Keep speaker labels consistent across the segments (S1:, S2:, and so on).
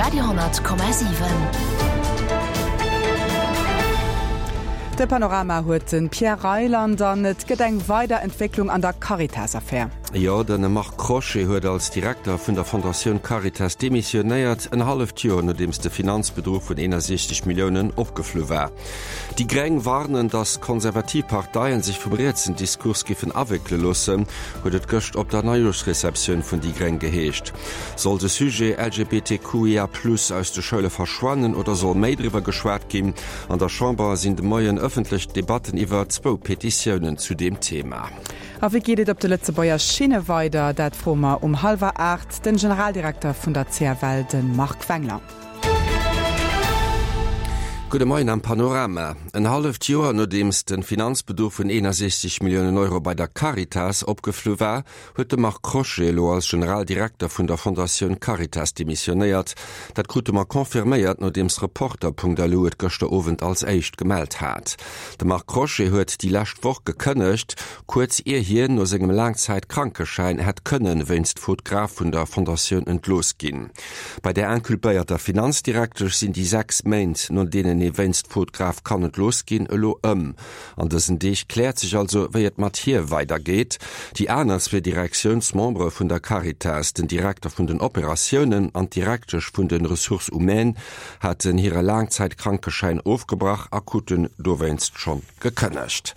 S1: Radio,7.
S2: De Panorama huet de Pierre Reyland an et gëtt eng weider Entwécklung an der Caritas-Affär.
S3: Jo, de Marc Crochet huet als Direkter vun der Fondatioun Caritas demissionéiert, en halleft Joer nodeems de Finanzbedruch vun 61 Milliounen opgeflu war. Déi Gréng warnen, datt konservativ Parteien sech vum rietsen Diskurs giffen awéckele loossen, huet et gëscht op der Neijooschreceptioun vun déi Gréng geheescht. Soll de Sujet LGBTQIA+ aus de Schoule verschwannen oder soll méi driwwer geschwat ginn? An der Chamber sinn de Moien ëffentlech Debatten iwwer zwou Petitiounen zu deem Thema.
S2: A wéi geet et op de Lëtzebuerger Schinne weider? Dat froe mer um hallwer 8 den Generaldirekter vun der CFL, de Marc Wengler.
S3: Gudde Moien am Panorama. En halleft Joer nodeems de Finanzbeduch vun 61 Milliounen Euro bei der Caritas opgeflu war, huet de Marc Crochet elo als Generaldirekter vun der Fondatioun Caritas demissionéiert. Dat krute mer confirméiert, nodeems Reporter.lu et gëschter Owend als éischt gemellt hat. De Marc Crochet huet déi lescht Woch gekënnegt, kuerz ier hien no sengem Laangzäit-Krankeschäin hätt kënne wéinst Faute grave vun der Fondatioun entlooss ginn. Bei der inculpéierter Finanzdirektesch sinn déi 6 Méint, no deenen ee wéinst Faute grave kann entlooss ginn, elo ëm. An dësen Deeg kläert sech also, wéi et mat hir weidergeet. Déi aner zwee Direktiounsmembere vun der Caritas, den Direkter vun den Operatiounen an d'Direktesch vun de Ressources humaines, haten hire Laangzäitkrankeschäin ofgebrach a kruten dowéinst schonn gekënnegt.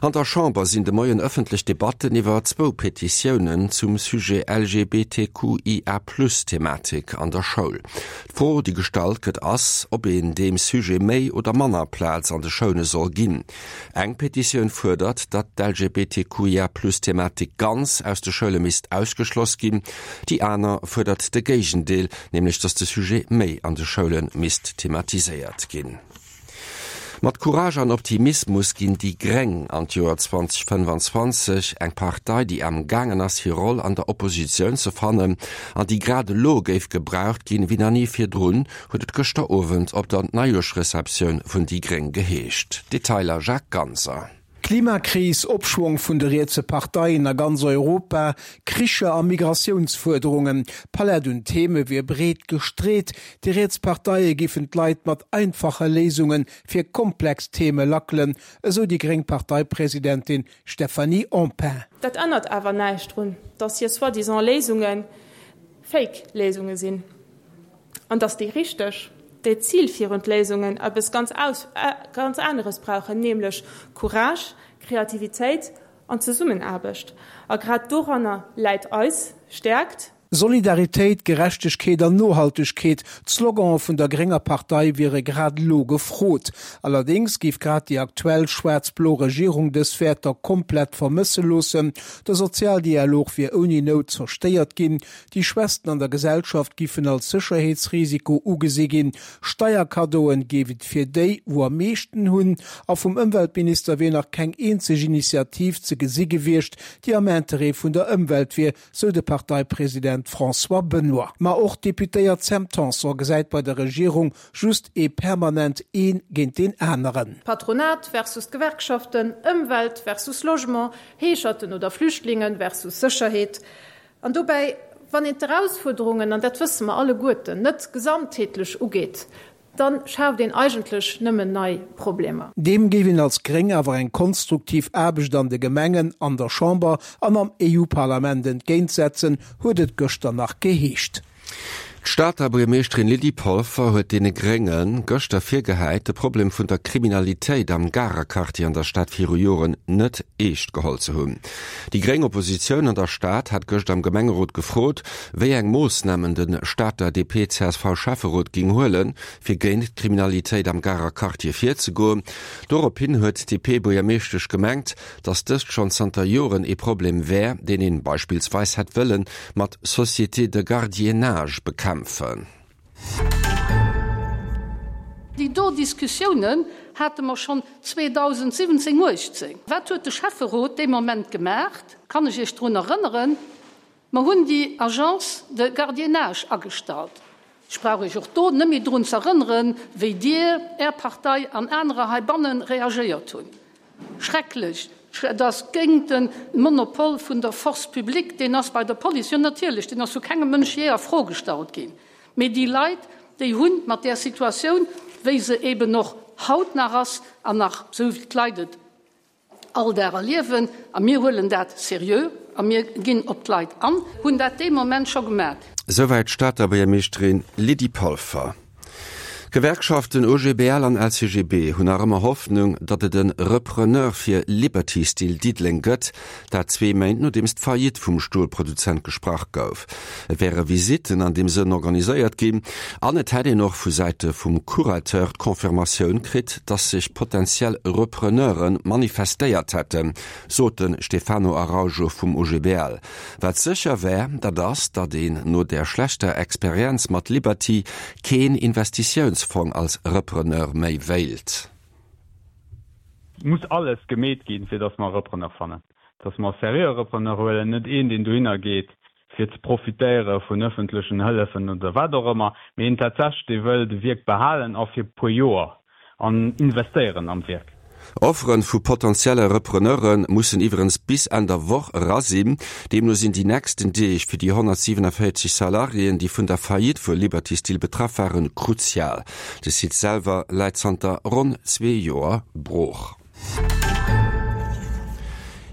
S3: An der Chamber sinn de Moien ëffentlech Debatten iwwer zwou Petitiounen zum Sujet LGBTQIA-Plus-Thematik an der Schoul. D'Fro, déi gestallt gëtt, ass, ob een deem Sujet méi oder manner Plaz an de Schoule soll ginn. Eng Petitioun fuerdert, datt d'LGBTQIA-Plus-Thematik ganz aus de Schoule misst ausgeschloss ginn. Déi aner fuerdert de Géigendeel, nämlech datt de Sujet méi an de Schoule misst thematiséiert ginn. Mat Courage an Optimismus ginn déi Gréng an d'Joer 2025, eng Partei, déi am gaangen ass hir Roll an der Oppositioun ze fannen an déi grad elo géif gebraucht ginn wéi nach ni virdrun, huet et gëschter Owend op der Neijoerschreceptioun vun déi Gréng geheescht. Detailer Jacques Ganser.
S4: Klimakris, Opschwong vun de rietse Parteien a ganz Europa, Kricher a Migratiounsfuerderungen, d'Palett un Theme wier breet gestreet. Déi riets Parteie giffen d'Leit mat einfache Léisunge fir komplex Theme lackelen, esou déi gréng Parteipresidentin Stéphanie Empain.
S5: Dat ännert awer näischt drun, dass hir soi-disant Léisunge Fake Léisunge sinn. An dass déi richteg, déi zilfierend Léisungen eppes ganz ganz aneres brauchen, nämlech Courage, Kreativitéit an Zesummenaarbecht. A grad doranner läit eis Stäerkt.
S4: Solidaritéit, Gerechtegkeet an Nohaltegkeet, d'Slogane vun der grénger Partei wiere grad elo gefrot. Allerdéngs géif grad déi aktuell schwaarz-blo Regierung dës Wäerter komplett vermësse loossen. De Sozialdialog wier ouni Nout zerstéiert ginn. Déi Schwächsten an der Gesellschaft giffen als Sécherheetsrisiko ugesi ginn, Steierkaddoen géif et fir déi, wou am meeschten hunn, a vum Ëmweltminister wier nach keng eenzeg Initiativ ze gesi gewiescht, déi am Interêt vun der Ëmwelt wier, sou de Parteipresident François Benoy. Ma och d'Deputéiert Sam Tanson gesäit bei der Regierung just ee permanent een géint deen aneren.
S5: Patronat versus d'Gewerkschaften, Ëmwelt versus Logement, Heescherten oder Flüchtlingen versus Sécherheet. An dobäi, wann een d'Erausfuerderungen, an dat wësse mer alleguerten, net gesamtheetlech ugeet, da schaaft een eigentlech nëmmen nei Problemer.
S4: Deem géif een als Gréng awer eng konstruktiv Aarbecht an de Gemengen, an der Chamber an am EU-Parlament entgéintsetzen, huet et gëschter nach geheescht.
S3: D'Stater Buergermeeschterin Lydie Polfer huet deene Grénge gëschter virgehäit, de Problem vun der Kriminalitéit am Garer Quartier an der Stad viru Joren net eescht geholl ze hunn. Déi gréng Oppositioun an der Stad hat gëscht am Gemengerot gefrot, wéi eng Moossnamen de Stater DP-CSV-Schäfferot géing huelen, fir géint d'Kriminalitéit am Garer Quartier virzegoen. Dorop hin huet d'DP-Buergermeeschtesch gemengt, datt dëst schonn zanter Joren ee Problem wär, deen een beispillsweis hätt wëllen mat Sociétés de gardiennage bekämpfen.
S6: Déi do Diskussiounen hate mer schonn 2017, 18. Wat huet de Schäfferot dee Moment gemaacht? Kann ech Iech drun erënneren? Mer hunn déi Agence de gardiennage agestallt. Ech brauch Iech och do net méi drun ze erënneren, wéi Dir, Är Partei an anerer heibanne reagéiert hunn. Schrecklech! Et ass géint de Monopol vun der Force publique, deen ass bei der Police, jo natierlech, deen ass vu kengem Mënsch jee a Fro gestallt ginn. Mee déi Leit, déi hu mat där Situatioun, wéi se eben och haut nach ass an nach esou wéi d'Leit et all Dag erliewen, a mir huelen dat seriö a mir ginn op d'Leit an, hunn dat dee Moment scho gemat.
S3: Souwäit d'Stater Buergermeeschterin Lydie Polfer. D'Gewerkschaften OGBL an LCGB hunn nach ëmmer Hoffnung, datt et e Repreneur fir Liberty Steel Diddeleng gëtt, dat zwee Méint nodeems d'Faillite vum Stolproduzent gesprach gouf. Et wäre Visitten an deem Sënn organiséiert ginn an et hätt een och vu Säite vum Curateur d'Confirmatioun kritt, datt sech potentiell Repreneure manifestéiert hätten, sot de Stefano Araujo vum OGBL. Wat sécher wär, dat ass, datt een no där schlechter Experienz mat Liberty keen Investitiounsfong als Repreneur méi wéilt.
S1: Et muss alles gemeet ginn, fir datt mer e Repreneur fannen, datt mer e seriöe Repreneur huelen, net een, deen dohinner geet, fir ze profitéiere vun öffentlechen Hëllefen oder wat och ëmmer, mee een tatsächlech, dee wëll de Wierk behalen a fir e puer Joer. An investéieren am
S3: Wierk. Offere vu potentielle Repreneure mussen iwwerens bis Enn der Woch era sinn. Deemno sinn déi nächsten Deeg fir déi 147 Salariéen, déi vun der Faillite vu Liberty Steel betraff waren, kruzial. De Site selwer läit zanter ronn zwee Joer brooch.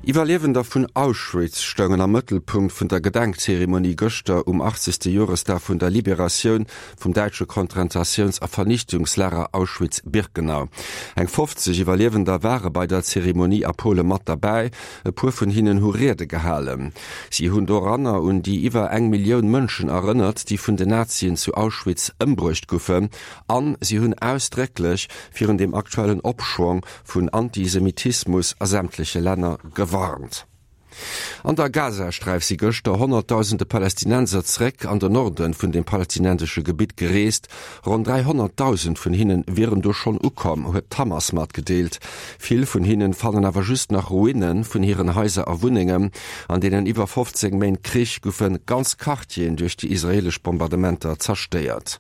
S3: Iwwerliewender vun Auschwitz stoungen am Mëttelpunkt vun der Gedenkzeremonie gëschter um 80. Joresdag vun der Liberatioun vum däitsche Kontrentatiouns a Vernichtungslager Auschwitz-Birkenau. Eng 50 Iwwerliewender ware bei der Zeremonie a Pole mat derbäi. E puer vun hinnen hu Riede gehalen. Si hunn doranner un déi iwwer eng Millioun Mënschen erënnert, déi vun den Nazien zu Auschwitz ëmbruecht goufen. An si hunn ausdrécklech virun dem aktuellen Opschwong vun Antisemitismus a sämtleche Länner gewarnt. An der Gazasträif si gëschter honnertdausende Palästinenser zeréck an den Norde vun dem palästinensesche Gebitt gereest. Ronn 300.000 vun hinne wieren do schonn ukomm, huet d'Hamas matgedeelt. Vill vun hinnen fannen awer just nach Ruine vun hiren Haiser a Wunnengen. An deenen iwwer 15 Méint Krich goufe ganz Quartieren duerch déi israeelesch Bombardementer zerstéiert.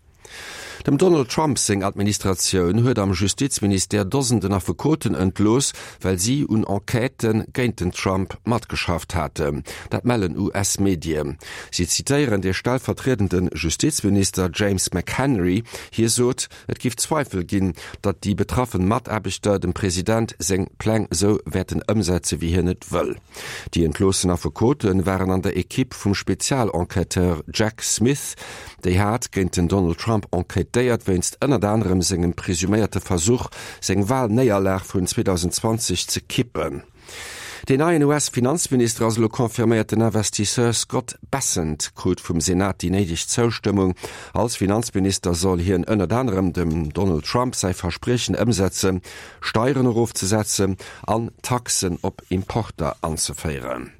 S3: Dem Donald Trump seng Administratioun huet am Justizministère Dosenden Affekoten entlooss, well si un Enquêtë géint den Trump matgeschafft haten. Dat mellen US-Medien. Si zitéieren de stellvertriedende Justizminister James McHenry. Hie sot, et giff Zweifel ginn, datt déi betraffen Mataarbechter dem President seng Pläng esou wäerten ëmsetze wéi hien et wëll. Déi entloossen Affekote waren an der Ekipp vum Spezialenquêteur Jack Smith. Déi hat géint den Donald Trump enquêtéiert wéinst ënnert anerem sengem presuméierte Versuch, seng Walnéierlag vun 2020 ze kippen. Deen neien US-Finanzminister ass elo confirméiert. Den Investisseur Scott Bessent krut vum Senat déi néideg Zoustëmmung. Als Finanzminister soll hien ënnert anerem dem Donald Trump säi Verspriechen ëmsetzen, Steieren erofzesetzen an Taxen op Importer anzeféieren.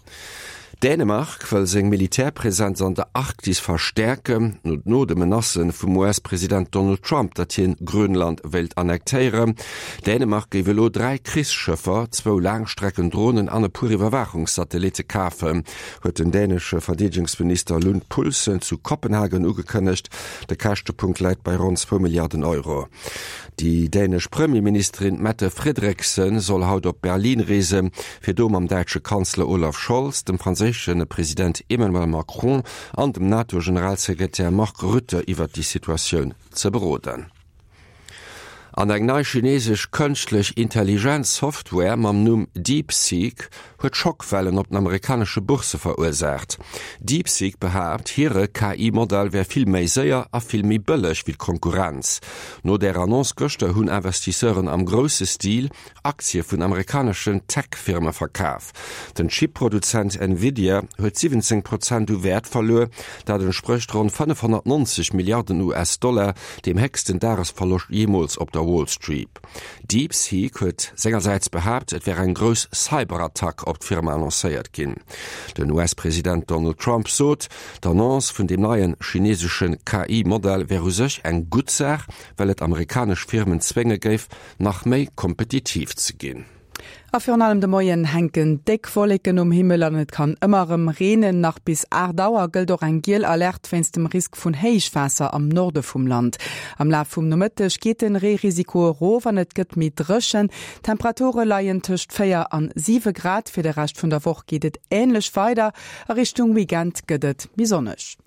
S3: Dänemark wëll seng Militärpresenz an der Arktis verstäerken, no de Menacë vum US-President Donald Trump, datt hien Grönland wéilt annektéieren. Dänemark géif elo 3 Krichsschëffer, zwou Laangstrecken-Dronen an e puer Iwwerwaachungssatellitte kafen, huet den dänesche Verdeedegungsminister Lund Poulsen zu Kopenhagen ugekënnegt. De Käschtepunkt läit bei ronn zwou Milliarden Euro. Déi dänesch Premierministerin Mette Frederiksen soll haut op Berlin reesen, fir do mam däitsche Kanzler Olaf Scholz, dem franséische President Emmanuel Macron an dem NATO-Generalsekretär Mark Rutte iwwert déi Situatioun ze beroden. An eng nei chinesesch kënschtlech Intelligenz-Software mam Numm DeepSeek huet Schockwellen op den amerikanesche Boursse verursaacht. DeepSeek behaapt, hire KI-Modell wär vill méi séier a vill méi bëlleg wéi d'Konkurrenz. No där Annonce gëschter hunn Investisseuren am grousse Stil Aktie vun amerikaneschen Tech-Firme verkaf. Den Chip-Produzent Nvidia huet 17 Prozent u Wäert verluer, dat entsprécht ronn 590 Milliarden US-Dollar, deem héchsten Dagesverloscht jeemools op der Wall Street. DeepSeek huet sengersäits behaapt, et wär eng grouss Cyberattack op d'Firma annoncéiert ginn. Den US-President Donald Trump sot, d'Annonce vun deem neie chinesesche KI-Modell wär u sech eng gutt Saach, well et amerikanesch Firmen zwénge géif, nach méi kompetitiv ze ginn.
S2: A virun allem de Moien hänken déck Wolleken um Himmel an et kann ëmmer erëm reenen. Nach bis 8 Auer gëllt och eng giel Alerte wéinst dem Risk vun Héichwaasser am Norde vum Land. Am Laf vum Nomëtteg geet den Reerisiko erof an et gëtt méi dréchen. D'Temperature leien tëscht 4 an 7 Grad. Fir de Rescht vun der Woch geet et änlech weider, a Richtung Weekend gëtt et méi sonneg.